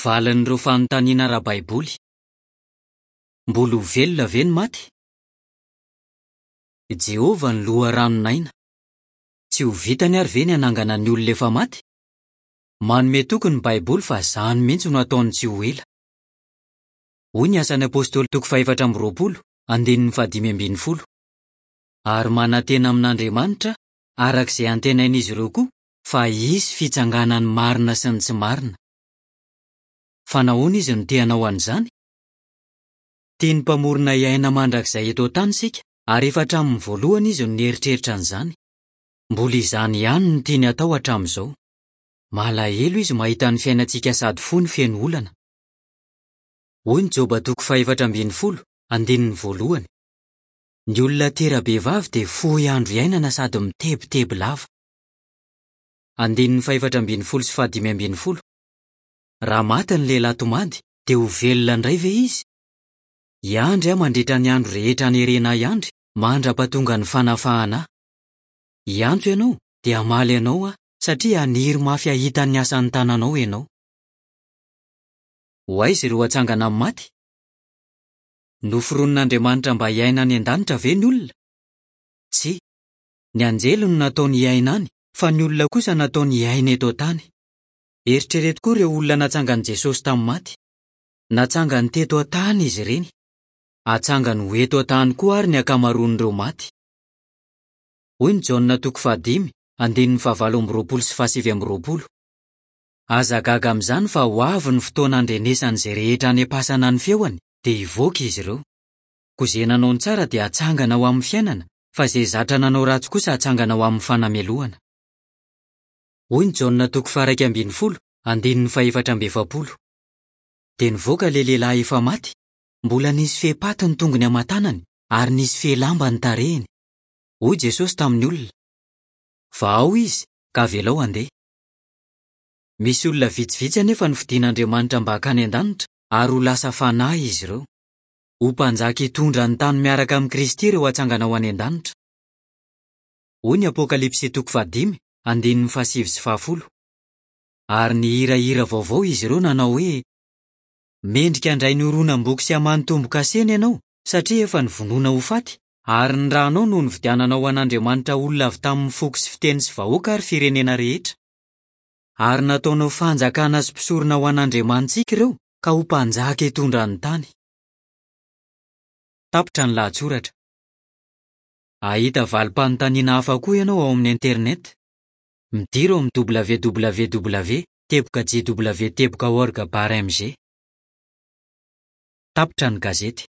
Valin'ireo fanontaniana ara-baiboly. Mbola ho velona ve ny maty? I Jehovah no loharanon'aina. Tsy ho vitany àry ve ny hanangana ny olona efa maty? Manome toky ny Baiboly fa izany mihitsy no hataony tsy ho ela. Hoy ny Asan'ny Apostoly toko fahefatra amby 20, andininy fahadimy ambin'ny folo, Ary manantena amin'Andriamanitra, araka izay antenain'izy ireo koa, fa hisy fitsanganan'ny marina sy ny tsy marina. Fa nahoana izy no te hanao an'izany? Tian'ny Mpamorona hiaina mandrakizay eto an-tany isika, ary efa hatramin'ny voalohany izy no nieritreritra an'izany. Mbola izany ihany no tiany hatao hatramin'izao. Malahelo izy mahita ny fiainantsika sady fohy no feno olana. Hoy ny Joba toko fahefatra ambin'ny folo, andininy voalohany, Ny olona tera-behivavy dia fohy andro iainana sady mitebiteby lava. Andininy fahefatra ambin'ny folo sy fahadimy ambin'ny folo, Raha maty ny lehilahy tomady, dia ho velona indray ve izy? Hiandry aho mandritra ny andro rehetra anerena ahy hiandry, mandra-pahatonga ny fanafahana ahy. Hiantso ianao, dia hamaly anao aho, satria haniry mafy hahita ny asan'ny tananao ianao. Ho aiza ireo hatsangana amin'ny maty? Noforonin'Andriamanitra mba hiaina any an-danitra ve ny olona? Tsia. Ny anjely no nataony hiaina any, fa ny olona kosa nataony hiaina eto an-tany. Eritrereto koa ireo olona natsangan'i Jesosy tamin'ny maty. Natsangany teto an-tany izy ireny. Hatsangany ho eto an-tany koa àry ny ankamaroan'ireo maty. Hoy ny Jaona toko fahadimy, andininy fahavalo amby roapolo sy fahasivy amby roapolo, Aza gaga amin'izany fa ho avy ny fotoana handrenesan'izay rehetra any am-pasana ny feony, dia hivoaka izy ireo. Koa izay nanao ny tsara dia hatsangana ho amin'ny fiainana, fa izay zatra nanao ratsy kosa hatsangana ho amin'ny fanamelohana. Hoy ny Jaona toko faha-11, andininy fahefatra amby efapolo. Dia nivoaka ilay lehilahy efa maty, mbola nisy fehi-paty ny tongony aman-tanany ary nisy fehy lamba ny tarehiny. Hoy Jesosy tamin'ny olona, Vahao izy, ka avelao handeha. Misy olona vitsivitsy anefa nofidin'Andriamanitra mba hankany an-danitra, ary ho lasa fanahy izy ireo. Ho mpanjaka hitondra ny tany miaraka amin'i Kristy ireo hatsangana ho any an-danitra. Hoy ny Apokalypsy toko fahadimy, andininy fahasivy sy fahafolo, Ary nihira hira vaovao izy ireo nanao hoe, Mendrika handray ny horonam-boky sy hamaha ny tombo-kaseny ianao, satria efa novonoina ho faty, ary ny ranao no nividiananao ho an'Andriamanitra olona avy tamin'ny foko sy fiteny sy vahoaka ary firenena rehetra. Ary nataonao fanjakana sy mpisorona ho an'Andriamanitsika ireo, ka ho mpanjaka hitondra ny tany. Tapitra ny lahatsoratra. Hahita valim-panontaniana hafa koa ianao ao amin'ny Internet. Midira ao amin'ny www teboka jw teboka org bar mg. Tapitra ny gazety.